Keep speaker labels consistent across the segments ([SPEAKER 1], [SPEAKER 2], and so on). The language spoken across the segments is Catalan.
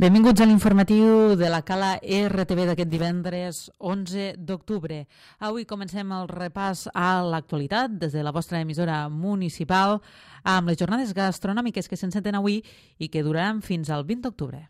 [SPEAKER 1] Benvinguts a l'informatiu de la Cala RTV d'aquest divendres 11 d'octubre. Avui comencem el repàs a l'actualitat des de la vostra emissora municipal amb les jornades gastronòmiques que s'enceten avui i que duraran fins al 20 d'octubre.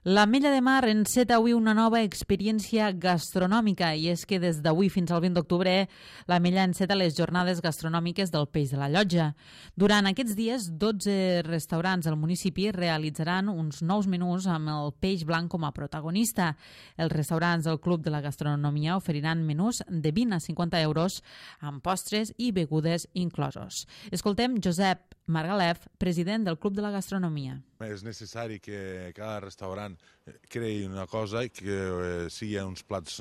[SPEAKER 1] L'Ametlla de Mar enceta avui una nova experiència gastronòmica i és que des d'avui fins al 20 d'octubre l'Ametlla enceta les jornades gastronòmiques del peix de la llotja. Durant aquests dies, 12 restaurants del municipi realitzaran uns nous menús amb el peix blanc com a protagonista. Els restaurants del Club de la Gastronomia oferiran menús de 20 a 50 euros amb postres i begudes inclosos. Escoltem Josep Margalef, president del Club de la Gastronomia.
[SPEAKER 2] És necessari que cada restaurant creï una cosa i que siguin uns plats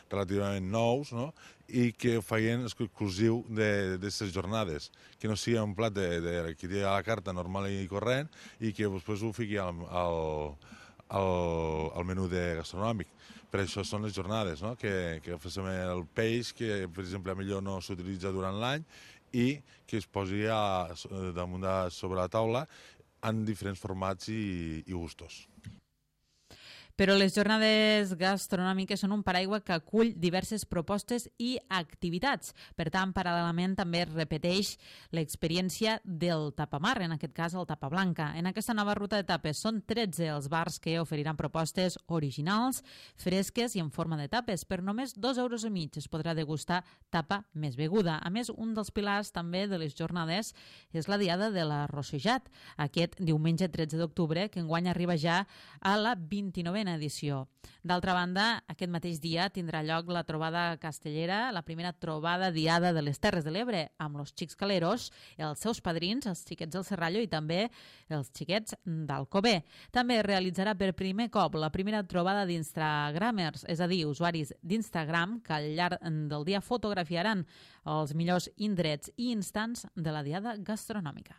[SPEAKER 2] relativament nous, no? I que ho facin exclusiu d'aquestes jornades, que no sigui un plat que té a la carta normal i corrent i que després ho fiqui al menú gastronòmic. Per això són les jornades, no? Que fem el peix, que per exemple millor no s'utilitza durant l'any i que es posi damunt sobre la taula en diferents formats i gustos.
[SPEAKER 1] Però les jornades gastronòmiques són un paraigua que acull diverses propostes i activitats. Per tant, paral·lelament també es repeteix l'experiència del tapamar, en aquest cas el tapa blanca. En aquesta nova ruta de tapes són 13 els bars que oferiran propostes originals, fresques i en forma de tapes. Per només 2,5 euros es podrà degustar tapa més beguda. A més, un dels pilars també de les jornades és la diada de la Rossejat, aquest diumenge 13 d'octubre, que enguany arriba ja a la 29a edició. D'altra banda, aquest mateix dia tindrà lloc la trobada castellera, la primera trobada diada de les Terres de l'Ebre, amb los xics caleros, els seus padrins, els xiquets del Serrallo i també els xiquets d'Alcover. També es realitzarà per primer cop la primera trobada d'instagramers, és a dir, usuaris d'Instagram que al llarg del dia fotografiaran els millors indrets i instants de la diada gastronòmica.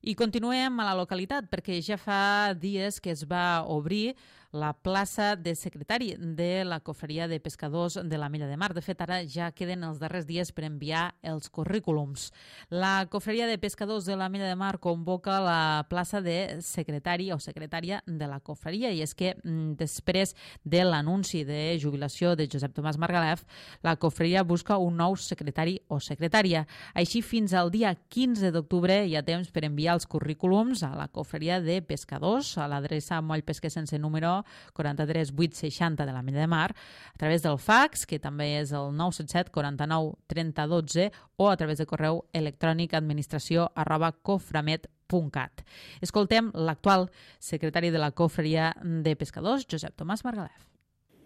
[SPEAKER 1] I continuem a la localitat perquè ja fa dies que es va obrir la plaça de secretari de la Cofreria de Pescadors de l'Ametlla de Mar. De fet, ara ja queden els darrers dies per enviar els currículums. La Cofreria de Pescadors de l'Ametlla de Mar convoca la plaça de secretari o secretària de la Cofreria i és que després de l'anunci de jubilació de Josep Tomàs Margalef, la Cofreria busca un nou secretari o secretària. Així, fins al dia 15 d'octubre hi ha temps per enviar els currículums a la Cofreria de Pescadors, a l'adreça Moll Pesquer sense número 43 860 de l'Ametlla de Mar, a través del fax, que també és el 977 49 30 12, o a través de correu electrònic administració@coframet.cat. Escoltem l'actual secretari de la Cofreria de Pescadors, Josep Tomàs Margalef.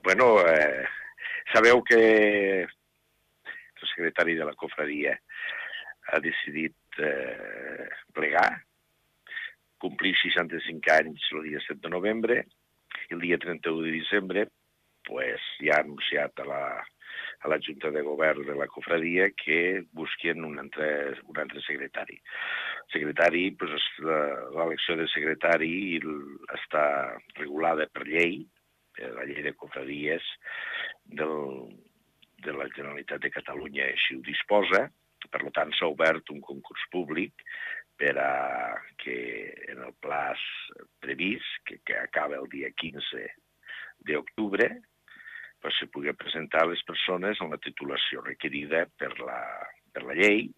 [SPEAKER 3] Bueno, sabeu que el secretari de la Cofreria ha decidit plegar, complir 65 anys el dia 7 de novembre, i el dia 31 de desembre ja ha anunciat a la Junta de Govern de la Cofredia que busquen un altre secretari. Secretari, l'elecció de secretari està regulada per llei, la llei de cofradies de la Generalitat de Catalunya així ho disposa. Per tant, s'ha obert un concurs públic per a que en el plaç previst, que acaba el dia 15 d'octubre, se pugui presentar les persones amb la titulació requerida per la llei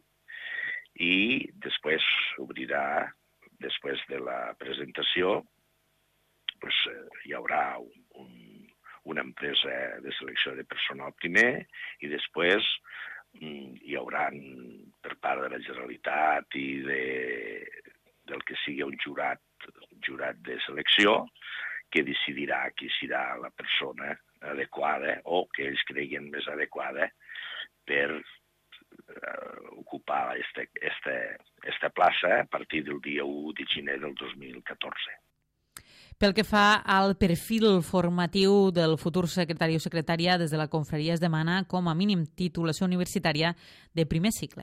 [SPEAKER 3] i després obrirà, després de la presentació, hi haurà una empresa de selecció de personal primer i després hi haurà per part de la Generalitat i del que sigui un jurat de selecció que decidirà qui serà la persona adequada o que ells creguin més adequada per ocupar esta plaça a partir del dia 1 de gener del 2014.
[SPEAKER 1] Pel que fa al perfil formatiu del futur secretari o secretària, des de la Confraria es demana com a mínim titulació universitària de primer cicle.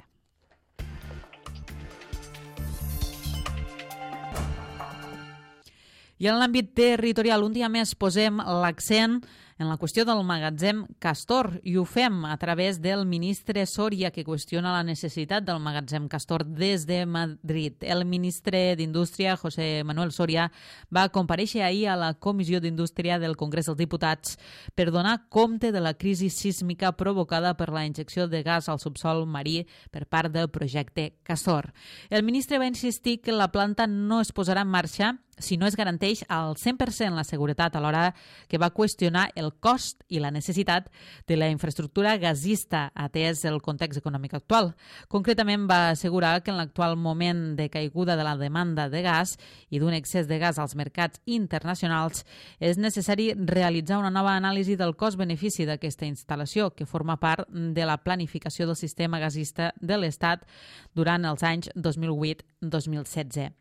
[SPEAKER 1] I en l'àmbit territorial, un dia més posem l'accent en la qüestió del magatzem Castor, i ho fem a través del ministre Soria, que qüestiona la necessitat del magatzem Castor des de Madrid. El ministre d'Indústria, José Manuel Soria, va comparèixer ahir a la Comissió d'Indústria del Congrés dels Diputats per donar compte de la crisi sísmica provocada per la injecció de gas al subsol marí per part del projecte Castor. El ministre va insistir que la planta no es posarà en marxa si no es garanteix al 100% la seguretat, alhora que va qüestionar el cost i la necessitat de la infraestructura gasista atès el context econòmic actual. Concretament va assegurar que en l'actual moment de caiguda de la demanda de gas i d'un excés de gas als mercats internacionals és necessari realitzar una nova anàlisi del cost-benefici d'aquesta instal·lació, que forma part de la planificació del sistema gasista de l'Estat durant els anys 2008-2016.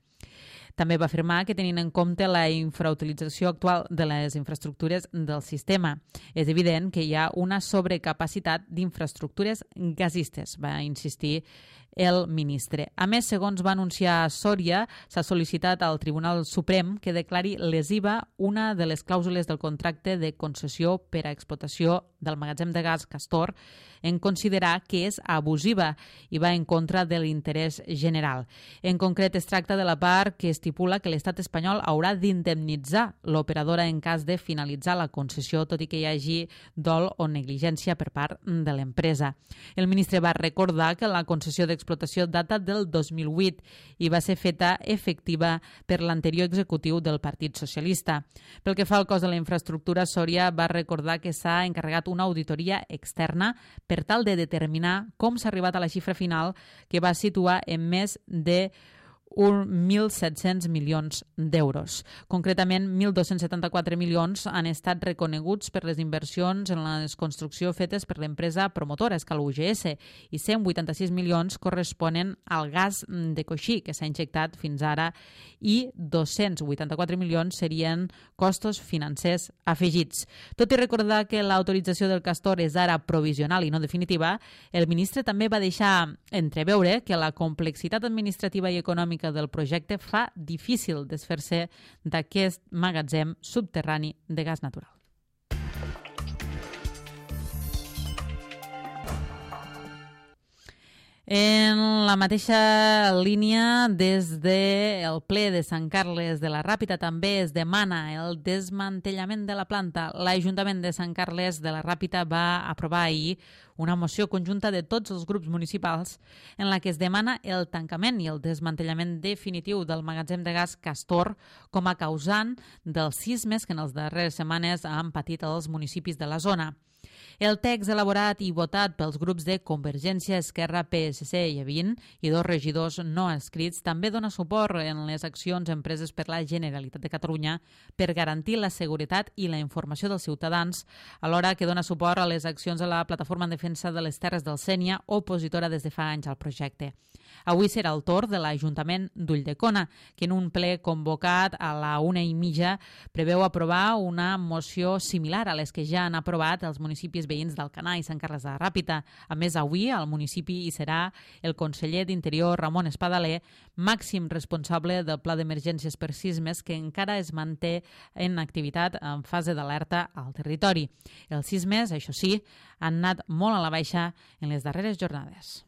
[SPEAKER 1] També va afirmar que, tenint en compte la infrautilització actual de les infraestructures del sistema, és evident que hi ha una sobrecapacitat d'infraestructures gasistes, va insistir el ministre. A més, segons va anunciar Soria, s'ha sol·licitat al Tribunal Suprem que declari lesiva una de les clàusules del contracte de concessió per a explotació del magatzem de gas Castor en considerar que és abusiva i va en contra de l'interès general. En concret, es tracta de la part que estipula que l'estat espanyol haurà d'indemnitzar l'operadora en cas de finalitzar la concessió, tot i que hi hagi dol o negligència per part de l'empresa. El ministre va recordar que la concessió d'explotació data del 2008 i va ser feta efectiva per l'anterior executiu del Partit Socialista. Pel que fa al cost de la infraestructura, Soria va recordar que s'ha encarregat una auditoria externa per tal de determinar com s'ha arribat a la xifra final, que va situar en més de 1.700 milions d'euros. Concretament, 1.274 milions han estat reconeguts per les inversions en la construcció fetes per l'empresa promotora Escal UGS i 186 milions corresponen al gas de coixí que s'ha injectat fins ara i 284 milions serien costos financers afegits. Tot i recordar que l'autorització del Castor és ara provisional i no definitiva, el ministre també va deixar entreveure que la complexitat administrativa i econòmica del projecte fa difícil desfer-se d'aquest magatzem subterrani de gas natural. En la mateixa línia, des del ple de Sant Carles de la Ràpita també es demana el desmantellament de la planta. L'Ajuntament de Sant Carles de la Ràpita va aprovar ahir una moció conjunta de tots els grups municipals en la que es demana el tancament i el desmantellament definitiu del magatzem de gas Castor com a causant dels sismes que en les darreres setmanes han patit els municipis de la zona. El text elaborat i votat pels grups de Convergència, Esquerra, PSC i Evin i dos regidors no adscrits també dona suport en les accions empreses per la Generalitat de Catalunya per garantir la seguretat i la informació dels ciutadans, alhora que dona suport a les accions de la Plataforma en Defensa de les Terres del Sénia, opositora des de fa anys al projecte. Avui serà el torn de l'Ajuntament d'Ulldecona, que en un ple convocat a la 1:30 preveu aprovar una moció similar a les que ja han aprovat els municipis veïns d'Alcanar i Sant Carles de la Ràpita. A més, avui al municipi hi serà el conseller d'Interior, Ramon Espadaler, màxim responsable del Pla d'Emergències per Sismes, que encara es manté en activitat en fase d'alerta al territori. Els sismes, això sí, han anat molt a la baixa en les darreres jornades.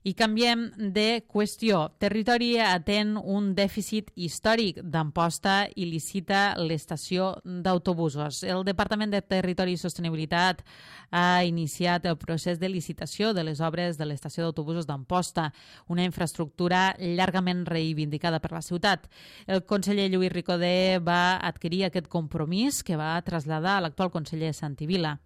[SPEAKER 1] I canviem de qüestió. Territori atén un dèficit històric d'Amposta i licita l'estació d'autobusos. El Departament de Territori i Sostenibilitat ha iniciat el procés de licitació de les obres de l'estació d'autobusos d'Amposta, una infraestructura llargament reivindicada per la ciutat. El conseller Lluís Ricodé va adquirir aquest compromís que va traslladar a l'actual conseller Santi Vila.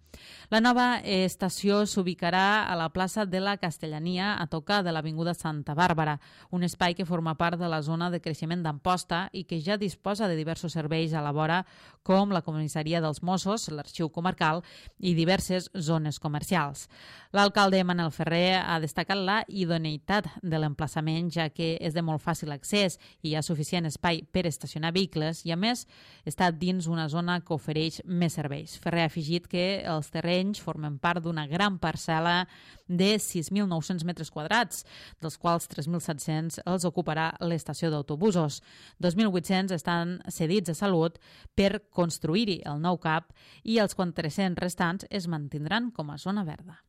[SPEAKER 1] La nova estació s'ubicarà a la plaça de la Castellania, a tocar de l'Avinguda Santa Bàrbara, un espai que forma part de la zona de creixement d'Amposta i que ja disposa de diversos serveis a la vora, com la comissaria dels Mossos, l'arxiu comarcal i diverses zones comercials. L'alcalde Manel Ferrer ha destacat la idoneïtat de l'emplaçament, ja que és de molt fàcil accés i hi ha suficient espai per estacionar vehicles i, a més, està dins una zona que ofereix més serveis. Ferrer ha afegit que els terrenys formen part d'una gran parcel·la de 6.900 metres quadrats parats, dels quals 3.700 els ocuparà l'estació d'autobusos. 2.800 estan cedits a Salut per construir-hi el nou CAP i els 400 restants es mantindran com a zona verda.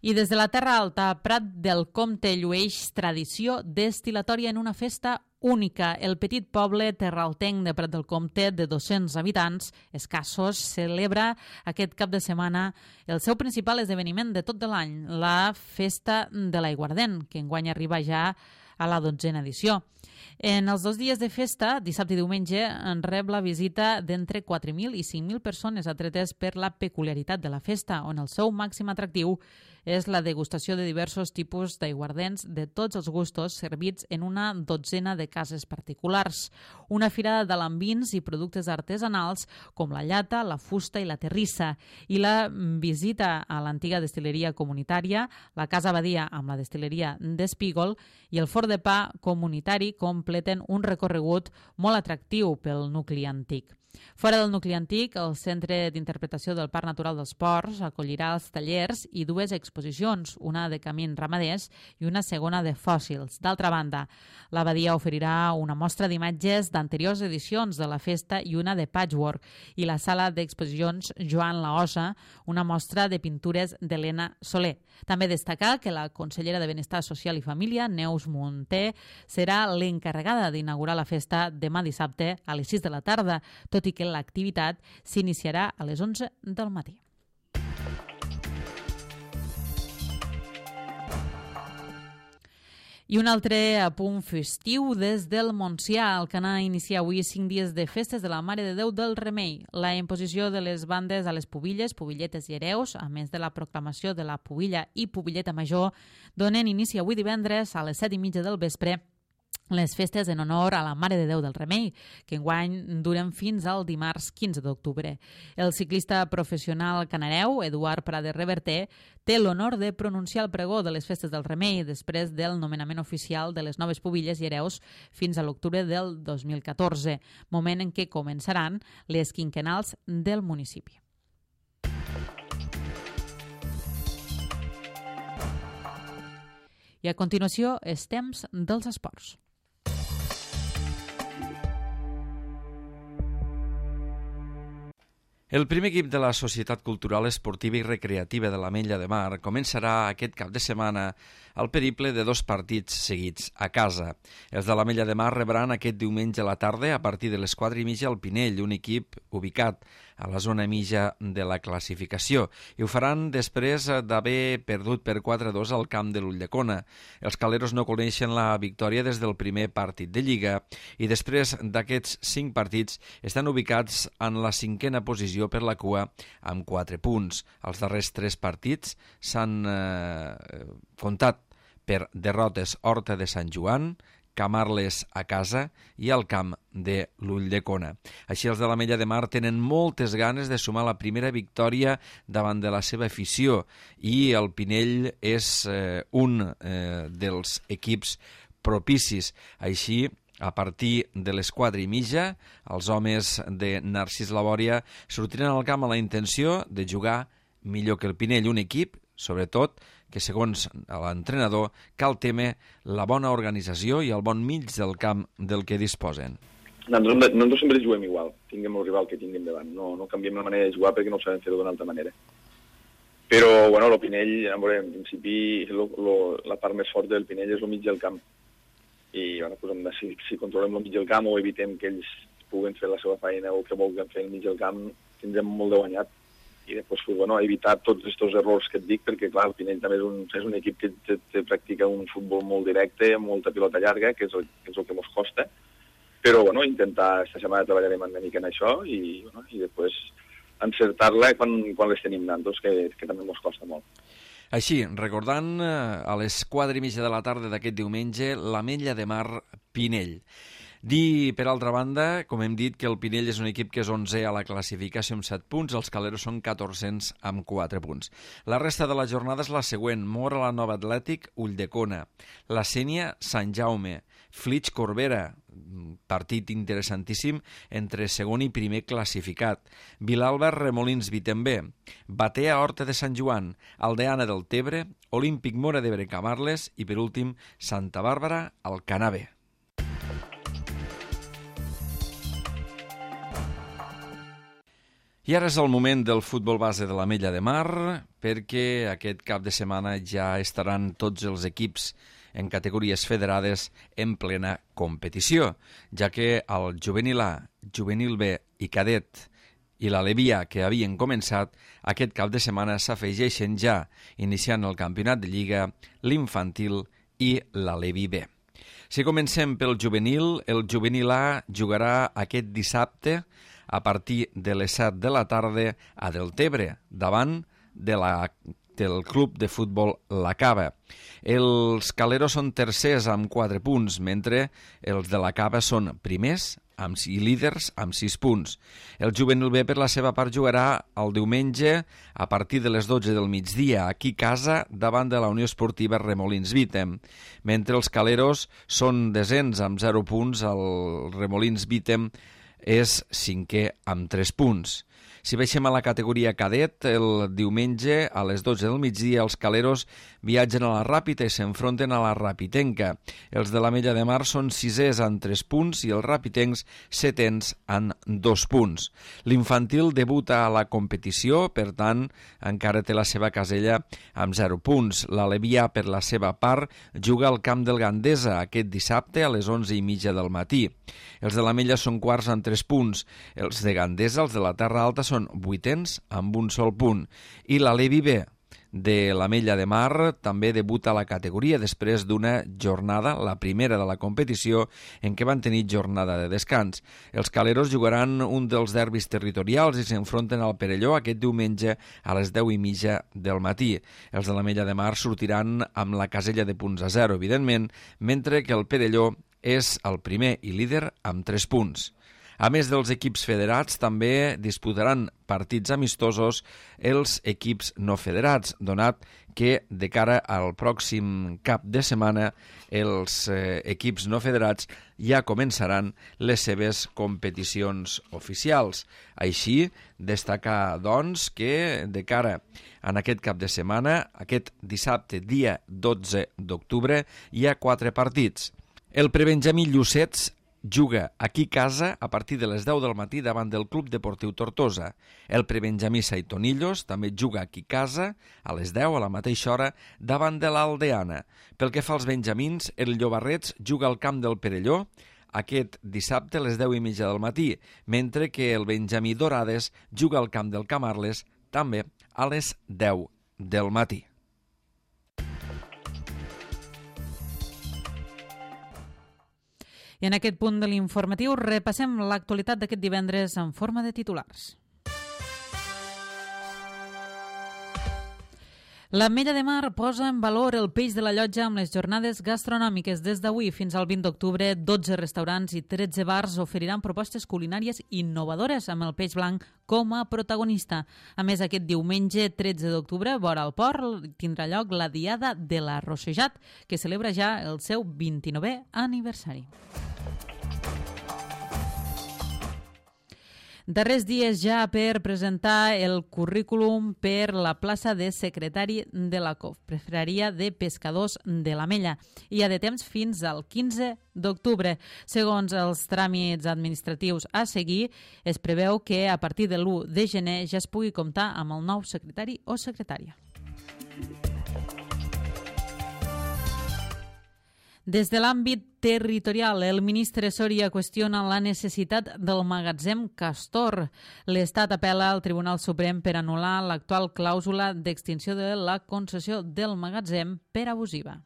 [SPEAKER 1] I des de la Terra Alta, Prat del Comte llueix tradició destil·latòria en una festa única. El petit poble terraltenc de Prat del Comte, de 200 habitants escassos, celebra aquest cap de setmana el seu principal esdeveniment de tot de l'any, la Festa de l'Aiguardent, que enguany arriba ja a la 12a edició. En els 2 dies de festa, dissabte i diumenge, en rep la visita d'entre 4.000 i 5.000 persones atretes per la peculiaritat de la festa, on el seu màxim atractiu és la degustació de diversos tipus d'aiguardents de tots els gustos servits en una 12a de cases particulars. Una fira d'alambins i productes artesanals com la llata, la fusta i la terrissa, i la visita a l'antiga destil·leria comunitària, la Casa Badia amb la destil·leria d'Espígol i el forn de pa comunitari completen un recorregut molt atractiu pel nucli antic. Fora del nucli antic, el Centre d'Interpretació del Parc Natural dels Ports acollirà els tallers i 2 exposicions, una de camins ramaders i una segona de fòssils. D'altra banda, l'abadia oferirà una mostra d'imatges d'anteriors edicions de la festa i una de patchwork, i la sala d'exposicions Joan Laosa, una mostra de pintures d'Helena Soler. També destacar que la consellera de Benestar Social i Família, Neus Munté, serà l'encarregada d'inaugurar la festa demà dissabte a les 6 de la tarda, tot i que l'activitat s'iniciarà a les 11 del matí. I un altre apunt festiu des del Montsià. El Canà inicia avui 5 dies de festes de la Mare de Déu del Remei. La imposició de les bandes a les pubilles, pubilletes i hereus, a més de la proclamació de la pubilla i pubilleta major, donen inici avui divendres a les 7:30 del vespre les festes en honor a la Mare de Déu del Remei, que enguany duren fins al dimarts 15 d'octubre. El ciclista professional canareu, Eduard Prades Reverter, té l'honor de pronunciar el pregó de les festes del Remei després del nomenament oficial de les noves pubilles i hereus fins a l'octubre del 2014, moment en què començaran les quinquennals del municipi. I a continuació, és temps dels esports.
[SPEAKER 4] El primer equip de la Societat Cultural, Esportiva i Recreativa de l'Ametlla de Mar començarà aquest cap de setmana el periple de 2 partits seguits a casa. Els de l'Ametlla de Mar rebran aquest diumenge a la tarda a partir de les 4:30 al Pinell, un equip ubicat a la zona mitja de la classificació, i ho faran després d'haver perdut per 4-2 al camp de l'Ulldecona. Els caleros no coneixen la victòria des del primer partit de Lliga i després d'aquests 5 partits estan ubicats en la 5a posició per la cua amb 4 punts. Els darrers 3 partits s'han comptat per derrotes Horta de Sant Joan, Camarles a casa i al camp de l'Ulldecona. Així els de l'Ametlla de Mar tenen moltes ganes de sumar la primera victòria davant de la seva afició i el Pinell és un dels equips propicis. Així, a partir de les 4:30, els homes de Narcís Labòria sortiran al camp amb la intenció de jugar millor que el Pinell, un equip, sobretot, que segons l'entrenador cal temer la bona organització i el bon mig del camp del que disposen.
[SPEAKER 5] Nosaltres sempre juguem igual, tinguem el rival que tinguem davant, no canviem la manera de jugar perquè no ho sabem fer d'una altra manera. Però, bueno, el Pinell, en principi, la part més forta del Pinell és el mig del camp. I, bueno, pues, si controlem el mig del camp o evitem que ells puguen fer la seva feina o que vulguin fer el mig del camp, tindrem molt de guanyat. I després, pues, bueno, evitar tots aquests errors que et dic, perquè, clar, el Pinell també és un equip que practica un futbol molt directe, amb molta pilota llarga, que és el que ens costa. Però, bueno, intentar, esta setmana treballarem una mica en això i després encertar-la quan les tenim nantos, que també ens costa molt.
[SPEAKER 4] Així, recordant a les 4:30 de la tarda d'aquest diumenge, l'Ametlla de Mar Pinell. Dir, per altra banda, com hem dit, que el Pinell és un equip que és 11è a la classificació amb 7 punts, els caleros són 14è amb 4 punts. La resta de la jornada és la següent: Móra la Nova Atlètic, Ulldecona, la Sénia, Sant Jaume, Flix Corbera, partit interessantíssim entre segon i primer classificat. Vilalba, Remolins, Vitembé, Batea, Horta de Sant Joan, Aldeana del Tebre, Olímpic Móra d'Ebre, Camarles i, per últim, Santa Bàrbara, Alcanar B. I ara és el moment del futbol base de l'Ametlla de Mar, perquè aquest cap de setmana ja estaran tots els equips en categories federades en plena competició, ja que el Juvenil A, Juvenil B i Cadet i l'Alevia, que havien començat, aquest cap de setmana s'afegeixen ja, iniciant el campionat de Lliga, l'Infantil i l'Alevi B. Si comencem pel Juvenil, el Juvenil A jugarà aquest dissabte a partir de les 7 de la tarda a Deltebre, davant del club de futbol La Cava. Els caleros són tercers amb 4 punts, mentre els de La Cava són primers i líders amb 6 punts. El Juvenil B, per la seva part, jugarà el diumenge a partir de les 12 del migdia, aquí a casa, davant de la Unió Esportiva Remolins Vítem. Mentre els caleros són desens amb 0 punts, el Remolins Vítem és 5è amb 3 punts. Si baixem a la categoria cadet, el diumenge a les 12 del migdia els caleros viatgen a la Ràpita i s'enfronten a la Rapitenca. Els de l'Ametlla de Mar són 6è amb 3 punts i els rapitencs 7è amb 2 punts. L'infantil debuta a la competició, per tant, encara té la seva casella amb 0 punts. L'Alevia, per la seva part, juga al camp del Gandesa aquest dissabte a les 11:30 del matí. Els de l'Ametlla són quarts amb 3 punts. Els de Gandesa, els de la Terra Alta, són 8è amb un sol punt. I l'Alevi B de l'Ametlla de Mar també debuta a la categoria després d'una jornada, la primera de la competició, en què van tenir jornada de descans. Els caleros jugaran un dels derbis territorials i s'enfronten al Perelló aquest diumenge a les 10:30 del matí. Els de l'Ametlla de Mar sortiran amb la casella de punts a 0, evidentment, mentre que el Perelló és el primer i líder amb 3 punts. A més dels equips federats, també disputaran partits amistosos els equips no federats, donat que de cara al pròxim cap de setmana els equips no federats ja començaran les seves competicions oficials. Així, destacar, doncs, que de cara en aquest cap de setmana, aquest dissabte, dia 12 d'octubre, hi ha 4 partits. El prebenjamí Llucets juga aquí a casa a partir de les 10 del matí davant del Club Deportiu Tortosa. El prebenjamí Saitonillos també juga aquí a casa a les 10 a la mateixa hora davant de l'Aldeana. Pel que fa als benjamins, el Llobarrets juga al camp del Perelló aquest dissabte a les 10:30 del matí, mentre que el benjamí Dorades juga al camp del Camarles també a les 10 del matí.
[SPEAKER 1] I en aquest punt de l'informatiu repassem l'actualitat d'aquest divendres en forma de titulars. L'Ametlla de Mar posa en valor el peix de la Llotja amb les jornades gastronòmiques. Des d'avui fins al 20 d'octubre, 12 restaurants i 13 bars oferiran propostes culinàries innovadores amb el peix blanc com a protagonista. A més, aquest diumenge 13 d'octubre, vora el port, tindrà lloc la Diada de l'Arrossejat, que celebra ja el seu 29è aniversari. Darrers dies ja per presentar el currículum per la plaça de secretari de la Confraria de Pescadors de l'Ametlla. Hi ha de temps fins al 15 d'octubre. Segons els tràmits administratius a seguir, es preveu que a partir de l'1 de gener ja es pugui comptar amb el nou secretari o secretària. Des de l'àmbit territorial, el ministre Soria qüestiona la necessitat del magatzem Castor. L'Estat apel·la al Tribunal Suprem per anul·lar l'actual clàusula d'extinció de la concessió del magatzem per abusiva.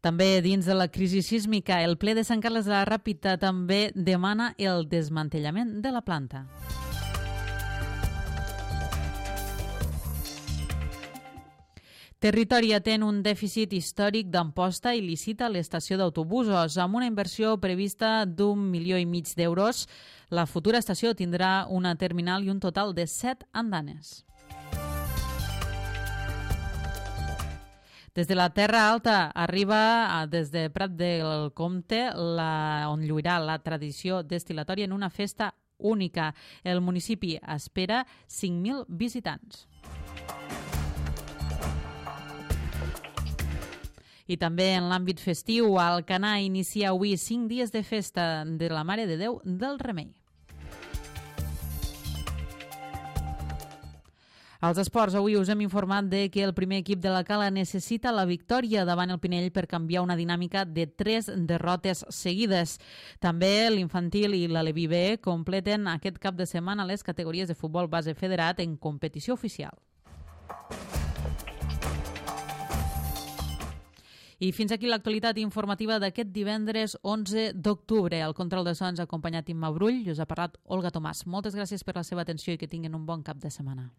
[SPEAKER 1] També dins de la crisi sísmica, el ple de Sant Carles de la Ràpita també demana el desmantellament de la planta. Territori atén un dèficit històric d'Amposta i licita l'estació d'autobusos. Amb una inversió prevista d'1,5 milions d'euros, la futura estació tindrà una terminal i un total de 7 andanes. Des de la Terra Alta arriba des de Prat del Comte, on lluirà la tradició destil·latòria en una festa única. El municipi espera 5.000 visitants. I també en l'àmbit festiu, Alcanar inicia avui 5 dies de festa de la Mare de Déu del Remei. Als esports, avui us hem informat de que el primer equip de la Cala necessita la victòria davant el Pinell per canviar una dinàmica de 3 derrotes seguides. També l'infantil i l'Aleví B completen aquest cap de setmana les categories de futbol base federat en competició oficial. I fins aquí l'actualitat informativa d'aquest divendres 11 d'octubre. Al control de so ens ha acompanyat Imma Brull i us ha parlat Olga Tomàs. Moltes gràcies per la seva atenció i que tinguin un bon cap de setmana.